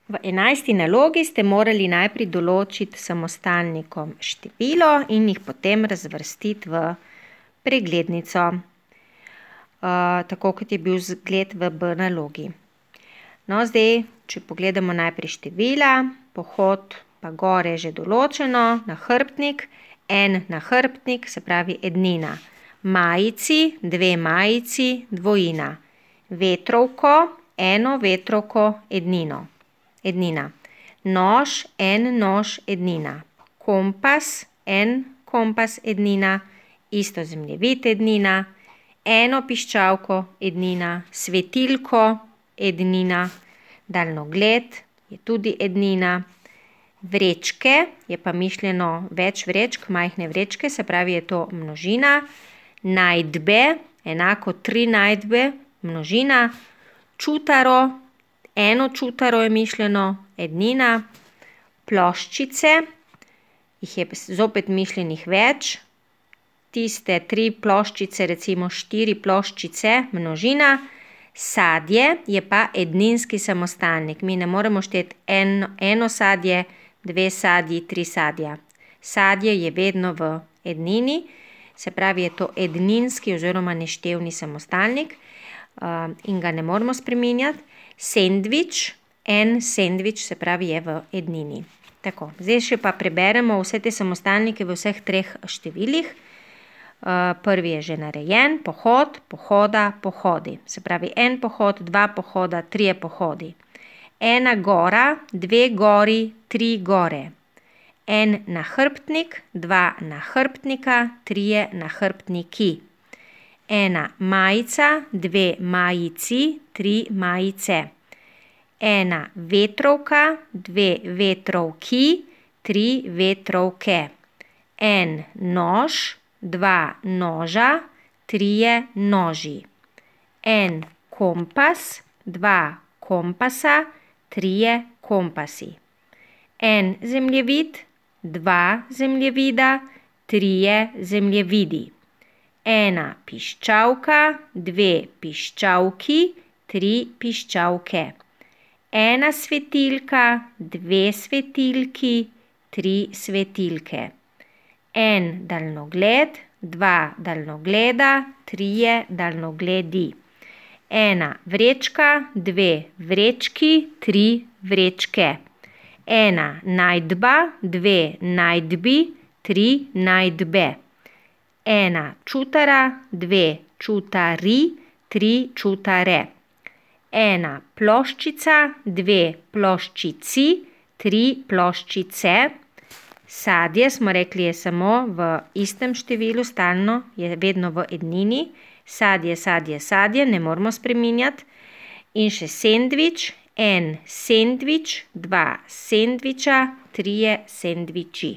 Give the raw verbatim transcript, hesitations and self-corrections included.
V enajsti nalogi ste morali najprej določiti samostalnikom število in jih potem razvrstiti v preglednico, uh, tako kot je bil zgled v B nalogi. No, zdaj, če pogledamo najprej števila, pohod pa gore je že določeno, nahrbtnik, en nahrbtnik, se pravi ednina. Majici, dve majici, dvojina. Vetrovko, eno vetrovko, ednino. Ednina. Nož, en nož, ednina. Kompas, en kompas, ednina. Isto zemljevid, ednina. Eno piščalko, ednina. Svetilko, ednina. Daljnogled je tudi ednina. Vrečke, je pa mišljeno več vrečk, majhne vrečke, se pravi, je to množina. Najdbe, enako tri najdbe, množina. Čutaro, eno čutaro je mišljeno, ednina. Ploščice, jih je zopet mišljenih več. Tiste tri ploščice, recimo štiri ploščice, množina. Sadje je pa edninski samostalnik. Mi ne moremo šteti eno, eno sadje, dve sadji, tri sadja. Sadje je vedno v ednini, se pravi, je to edninski oziroma neštevni samostalnik uh, in ga ne moremo spreminjati. Sendvič, en sendvič, se pravi, je v ednini. Tako, zdaj še pa preberemo vse te samostalnike v vseh treh številih. Uh, prvi je že narejen, pohod, pohoda, pohodi. Se pravi, en pohod, dva pohoda, trije pohodi. Ena gora, dve gori, tri gore. En nahrbtnik, dva nahrbtnika, trije nahrbtniki. Ena majica, dve majici, tri majice. Ena vetrovka, dve vetrovki, tri vetrovke. En nož, dva noža, trije noži. En kompas, dva kompasa, trije kompasi. En zemljevid, dva zemljevida, trije zemljevidi. Ena piščalka, dve piščalki, tri piščalke. Ena svetilka, dve svetilki, tri svetilke. En daljnogled, dva daljnogleda, trije daljnogledi. Ena vrečka, dve vrečki, tri vrečke. Ena najdba, dve najdbi, tri najdbe. Ena čutara, dve čutari, tri čutare. Ena ploščica, dve ploščici, tri ploščice. Sadje smo rekli je samo v istem številu, stalno je vedno v ednini. Sadje, sadje, sadje, ne moramo spreminjati. In še sendvič, en sendvič, dva sendviča, trije sendviči.